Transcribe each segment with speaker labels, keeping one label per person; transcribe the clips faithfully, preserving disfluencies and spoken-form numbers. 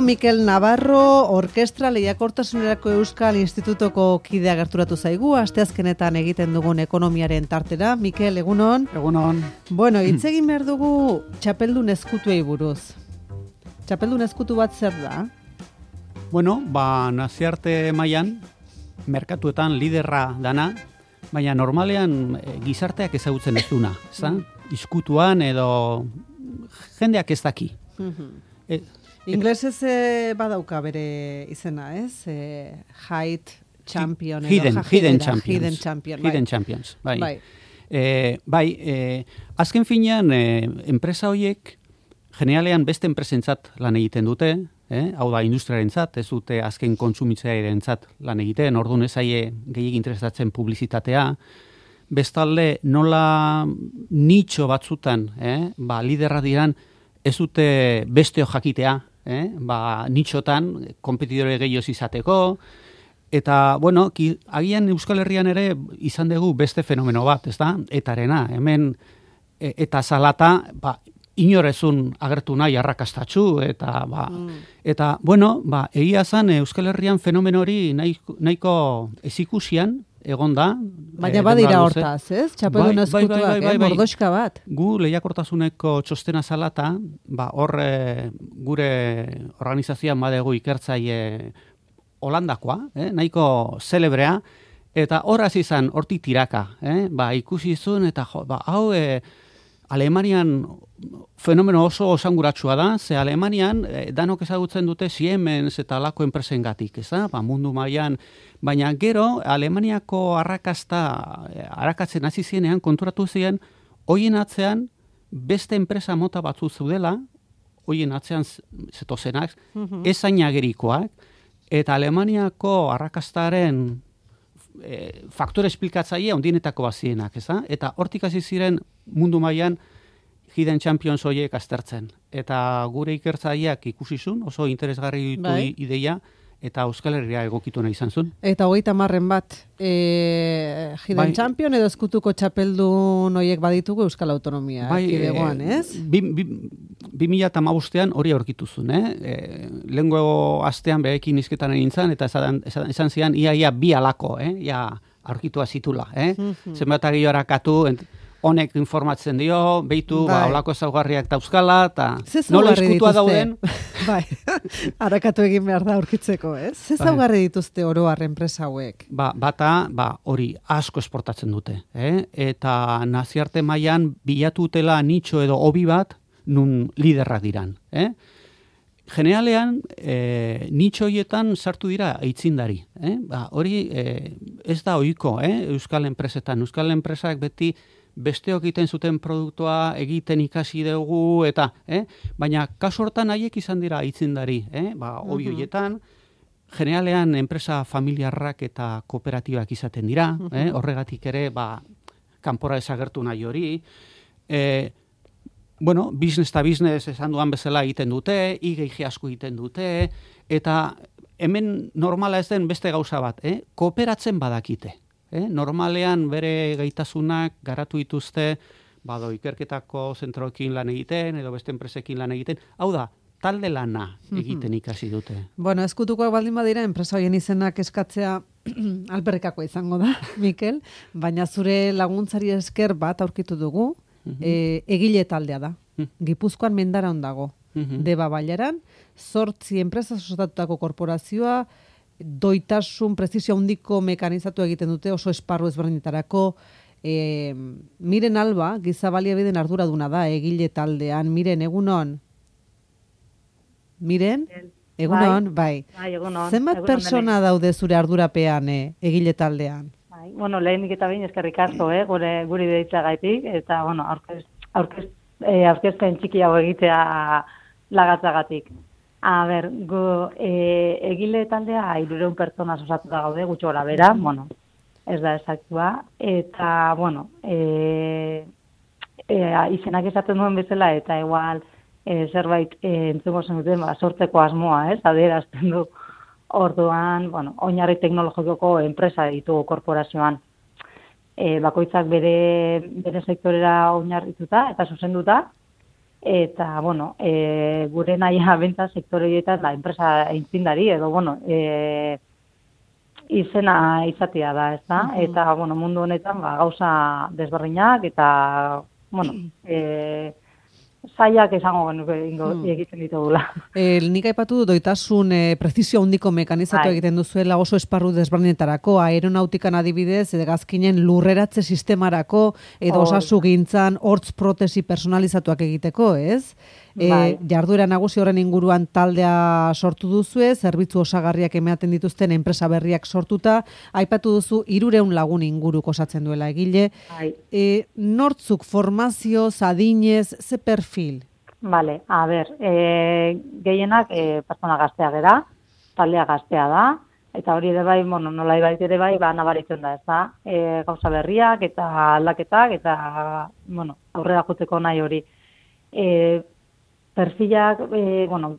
Speaker 1: Mikel Navarro, Orkestra Lehiakortasunerako Euskal Institutoko kidea gerturatu zaigu, asteazkenetan egiten dugun ekonomiaren tartera. Mikel, egunon?
Speaker 2: Egunon.
Speaker 1: Bueno, hitz egin behar dugu txapeldun ezkutuei buruz. Txapeldun ezkutu bat zer da?
Speaker 2: Bueno, ba, naziarte mailan merkatuetan liderra dana, baina normalean e, gizarteak ezagutzen ez duna, ezta? Izkutuan edo jendeak ez daki. e,
Speaker 1: Inglesez e, badauka bere izena, ez? E, height champion edo
Speaker 2: hidden, hidden champions.
Speaker 1: Hidden champion, bai.
Speaker 2: Hidden champions, bai.
Speaker 1: Bai,
Speaker 2: e, bai e, azken finean e, enpresa horiek generalean beste enpresentzat lan egiten dute, eh? Hau da industriarentzat, ez dute azken kontsumitzailearentzat lan egiten, orduan ez zaie gehiegi interesatzen publizitatea. Bestalde nola nitxo batzutan, eh? Ba, liderra diran ez dute besteo jakitea, eh? Ba, nitxotan konpetidore gehiago izateko, eta, bueno, ki, agian Euskal Herrian ere izan dugu beste fenomeno bat, ez da? Etarena, hemen, e, eta salata, ba, inorezun agertu nahi arrakastatxu, eta, ba, mm. eta, bueno, ba, egia zan Euskal Herrian fenomeno hori nahiko, nahiko ezikusian, egon da.
Speaker 1: Baina badira hortaz, ez? Txapeldun
Speaker 2: bai,
Speaker 1: ezkutuak,
Speaker 2: bai, bai, bai,
Speaker 1: eh?
Speaker 2: bai.
Speaker 1: Mordoxka bat.
Speaker 2: Gu lehiakortasuneko txostena salata, ba, hor e, gure organizazioan badegu ikertzaile Holandakoa, eh? Nahiko zelebrea, eta horaz izan hortik tiraka, eh? Ba, ikusi zuen, eta jo, ba, hau e, Alemanian fenomeno oso osanguratsua da, ze Alemanian eh, danok ezagutzen dute Siemens eta alako enpresengatik, ez da? Ba, mundu mailan, baina gero Alemaniako arrakasta eh, arakatzen hasi zienean konturatu ziren hoien atzean beste enpresa mota batzu zeudela, hoien atzean zetozenak, mm-hmm. ez ainagerikoak, eta Alemaniako arrakastaren e, faktore esplikatzaile handienetako bazienak, ez da? Eta hortik hasi ziren mundu mailan Hidden Champions horiek aztertzen. Eta gure ikertzaileak ikusizun, oso interesgarri ditu
Speaker 1: bai.
Speaker 2: Ideia, eta Euskal Herria egokitu nahi izan zuen.
Speaker 1: Eta hogeita marren bat, e, Hidden
Speaker 2: bai.
Speaker 1: Champion edo ezkutuko txapeldun horiek baditugu Euskal Autonomia.
Speaker 2: Bai,
Speaker 1: kidegoan, ez?
Speaker 2: Bi, bi, bi mila eta hamabostean hori aurkituzun, eh? E, lehengo astean behekin izketan nintzen, eta esan, esan, esan zian, ia, ia, bi alako, eh? Ia, aurkitua zitula, eh? Mm-hmm. Zenbatari horakatu, honek informatzen dio, behitu, bai. Ba, olako ezaugarriak dauzkala, eta nola eskutua dauden.
Speaker 1: Bai, harakatu egin behar da aurkitzeko, ez? Ze ezaugarri dituzte oro har enpresa hauek?
Speaker 2: Ba, bata, ba, hori asko esportatzen dute, eh? Eta naziarte mailan bilatutela nitxo edo hobi bat, nun liderrak diran, eh? Generalean, e, nitxo horietan sartu dira aitzindari. Eh? Ba, hori e, ez da ohiko, eh? Euskal enpresetan. Euskal enpresak beti besteok egiten zuten produktua egiten ikasi dugu, eta, eh? Baina kasu hortan haiek izan dira aitzindari. Eh? Ba, hobi horietan, generalean enpresa familiarrak eta kooperatibak izaten dira. Eh? Horregatik ere, ba, kanpora ezagertu nahi hori. Eh, Bueno, business eta business esan duan bezala egiten dute, I G G asko egiten dute, eta hemen normala ez den beste gauza bat, eh? Kooperatzen badakite. Eh? Normalean bere gaitasunak garatu dituzte, bado ikerketako zentroekin lan egiten, edo beste enpresekin lan egiten, hau da, talde lana egiten ikasi dute.
Speaker 1: Bueno, ezkutukoak baldin badira, enpresa horien izenak eskatzea alperrikakoa izango da, Mikel, baina zure laguntzari esker bat aurkitu dugu, Mm-hmm. E, egile taldea da. Mm-hmm. Gipuzkoan Mendaran dago. Mm-hmm. Deba Bailaran, zortzi enpresa osatatutako korporazioa, doitasun, prezisio handiko mekanizatu egiten dute, oso esparru ezberdinetarako. E, Miren Alba, giza baliabideen arduraduna da, egile taldean. Miren, egunon? Miren? Egunon, bai.
Speaker 3: bai egunon,
Speaker 1: zenbat
Speaker 3: egunon
Speaker 1: persona
Speaker 3: dele.
Speaker 1: daude zure ardurapean eh, egile taldean?
Speaker 3: Bai, bueno, lehenik eta behin eskerrik asko, eh, gure guri deitzagaitik, eta, bueno, aurkez, aurkez, eh, aurkezpen txiki hau egitea lagatzagatik. A ber, gu, eh, egile taldea hirurehun pertsona osatuta gaude, gutxi gora bera, bueno, ez da esaktua, eta, bueno, eh, eh, izenak esaten duen bezala, eta igual eh, zerbait eh, entzungo zen duten, ba, sortzeko asmoa, ez, adierazten du. Orduan, bueno, oinarri teknologikoko enpresa ditugu korporazioan. E, bakoitzak bere, bere sektorera oinarrituta eta zuzenduta, eta, bueno, e, gure nahia bentsa sektore horietan da, enpresa eintzindari, edo, bueno, e, izena izatea da, ez da? Uh-huh. Eta, bueno, mundu honetan, ba, gauza desberdinak, eta, bueno, e, zaiak esango genuke hmm. egiten ditugula.
Speaker 1: E, nik aipatu du doitasun e, prezisio handiko mekanizatu egiten duzuela oso esparru desberdinetarako, aeronautikan adibidez, gazkinen lurreratze sistemarako, edo osasungintzan hortz protesi personalizatuak egiteko, ez? E, bai. Jarduera nagusi horren inguruan taldea sortu duzue, zerbitzu osagarriak ematen dituzten enpresa berriak sortuta, aipatu duzu hirureun lagun inguruk osatzen duela egile.
Speaker 3: Bai.
Speaker 1: E, nortzuk formazio, adinez, ze perfil?
Speaker 3: Vale, a ber, e, gehienak e, pertsona gaztea gera, taldea gaztea da, eta hori ere bai, bueno, nola ibait ere bai, ba, nabaritzen da, ez da, e, gauza berriak eta aldaketak, eta, bueno, aurrera joteko nahi hori. E, perfilak, e, bueno,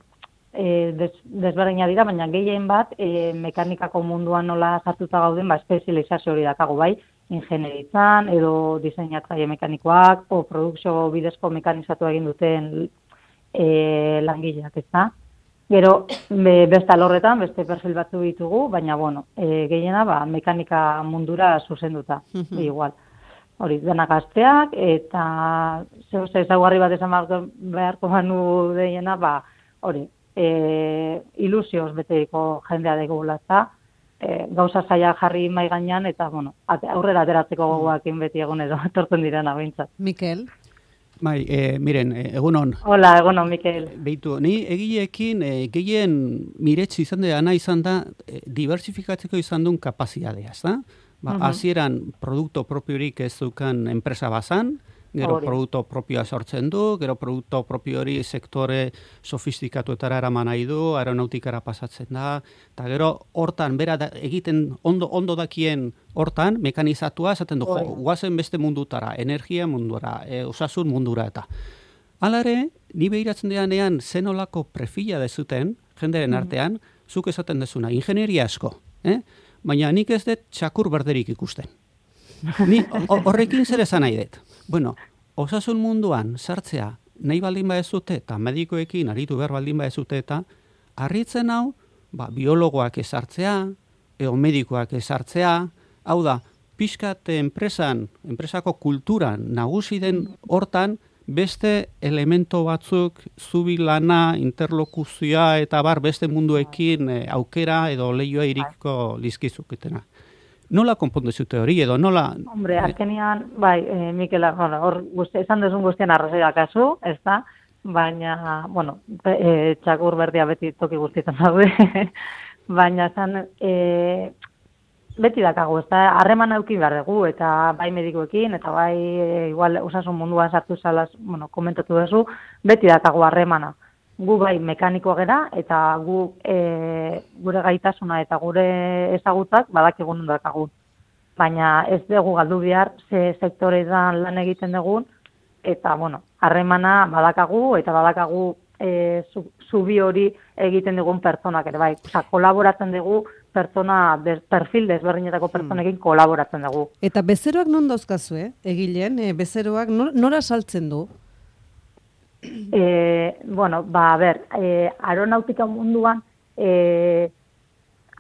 Speaker 3: e, des, desberdina dira, baina gehien bat, e, mekanikako munduan nola sartuta gauden, ba, espezializazio hori dakago bai, ingenieritzan, edo diseinatzaile mekanikoak, o produkzio bidezko mekanizatu egin duten e, langileak, ez da? Gero, be, beste alorretan, beste perfil batzu ditugu, baina, bueno, e, gehiena, ba, mekanika mundura zuzenduta, uh-huh. igual. Hori, denak gazteak, eta zeu ze ezaugarri bat esan beharko banu deiena, ba, hori, e, ilusioz beteiko jendea degula, eta e, gauza zaila jarri mai gainean, eta, bueno, ate, aurrera ateratzeko gogoakin beti egon edo, etortzen direna behintzat.
Speaker 1: Mikel?
Speaker 2: Bai, e, miren, egunon.
Speaker 3: Hola, egunon, Mikel.
Speaker 2: Beitu, ni egileekin e, gehien miretsi izan dena izan da, e, diversifikatzeko izan duen kapazitatea, ez da? Ba, uh-huh. Hasieran produkto propiorik ez dukan enpresa bazan, gero Ori. Produkto propioa sortzen du, gero produkto propio hori sektore sofistikatuetara eraman nahi du, aeronautikara pasatzen da, eta gero hortan, bera da, egiten ondo, ondo dakien hortan, mekanizatua, esaten du, jo, guazen beste mundutara, energia mundura, e, osasun mundura eta. Hala ere, ni behiratzen deanean zenolako perfila dezuten, jenderen artean, uh-huh. zuk esaten dezuna, ingenieria asko, eh? Baina nik ez dut txakur berderik ikusten. Ni horrekin zer esan nahi dut. Bueno, osasun munduan sartzea nahi baldin badezute eta medikoekin aritu behar baldin badezute eta harritzen hau, ba, biologoak ezartzea, edo medikoak ezartzea, hau da, pixkat enpresan, enpresako kulturan nagusi den hortan, beste elemento batzuk, zubi lana, interlokuzioa eta bar beste munduekin e, aukera edo lehioa iriko lizkizuketena. Nola konpondu zute hori edo nola...
Speaker 3: Hombre, azkenian, bai, e, Mikel, hor, guzti, esan duzun guztien arrazoia kasu, ez da? Baina, bueno, e, txakur berdia beti toki guztietan daude, baina esan... E, beti dakago, ez da, harreman eduki behar dugu, eta bai medikoekin, eta bai, e, igual, osasun munduan sartu zalaz, bueno, komentatu duzu, beti dakago harremana. Gu bai mekanikoa gera, eta gu e, gure gaitasuna eta gure ezagutzak badakigun dakagu. Baina ez dugu galdu behar, ze sektoretan lan egiten dugun, eta, bueno, harremana badakagu, eta badakagu e, zubi hori egiten dugun pertsonak ere, bai, oza, kolaboratzen dugu, pertsona, des, perfil desberdinetako pertsonekin hmm. kolaboratzen dugu.
Speaker 1: Eta bezeroak non dauzkazu, eh? Egileen, e, bezeroak nor, nora saltzen du?
Speaker 3: E, bueno, ba, a ber, e, aeronautika munduan, e,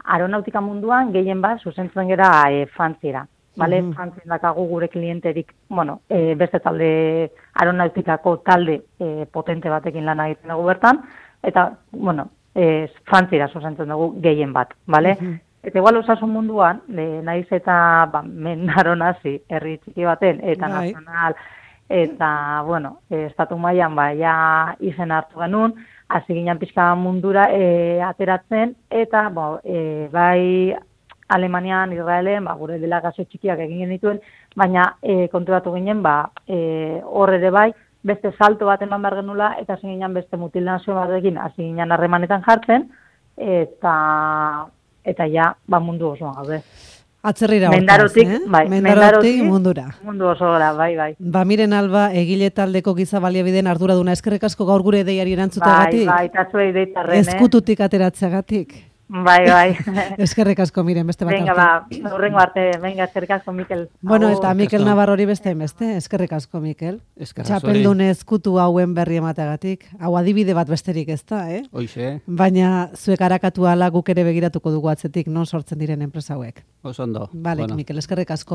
Speaker 3: aeronautika munduan gehien bat zuzentzen gera e, Frantziera. Vale, mm-hmm. Frantzien dakagu gure klienterik, bueno, e, beste talde, aeronautikako talde e, potente batekin lan egiten dugu bertan, eta, bueno, e, Frantziera zuzentzen dugu gehien bat, vale? Mm-hmm. Eta igual osasun munduan, e, naiz eta ba, mendaron hasi herri txiki baten, eta right. nazional, eta, bueno, e, estatu mailan ba, ja izen hartu genuen, hasi ginen pixka mundura e, ateratzen, eta, bo, e, bai, Alemanian, Israelen, ba, gure delegazio txikiak egin genituen, baina e, konturatu ginen, ba, e, horre ere bai, beste salto bat eman behar genula, eta hasi ginen beste mutilazio batekin, hasi ginen harremanetan jartzen, eta eta ja, ba, mundu osoan gaude.
Speaker 1: Atzerrira
Speaker 3: hortaz, eh? Bai,
Speaker 1: mendarotik, mendarotik mundura.
Speaker 3: Mundu oso gara, bai, bai.
Speaker 1: Ba, miren Alba, egile taldeko giza baliabideen arduraduna, eskerrik asko gaur gure deiari erantzutagatik.
Speaker 3: Bai, bai, eta zuei deitarren,
Speaker 1: Eskututik ateratzeagatik.
Speaker 3: Bai, bai.
Speaker 1: Eskerrik asko, Miren, beste bat
Speaker 3: Venga,
Speaker 1: arte.
Speaker 3: ba, urrengo arte, venga, eskerrik asko, Mikel.
Speaker 1: Bueno,
Speaker 3: Agur.
Speaker 1: eta Mikel Navarrori beste beste, eskerrik asko, Mikel.
Speaker 2: Eskerrak zuri.
Speaker 1: Txapeldun ezkutu hauen berri emategatik. Hau adibide bat besterik ez da, eh?
Speaker 2: Hoize,
Speaker 1: Baina zuek arakatu ala guk ere begiratuko dugu atzetik non sortzen diren enpresa hauek.
Speaker 2: oso ondo.
Speaker 1: Balek,
Speaker 2: Bueno.
Speaker 1: Mikel, eskerrik asko.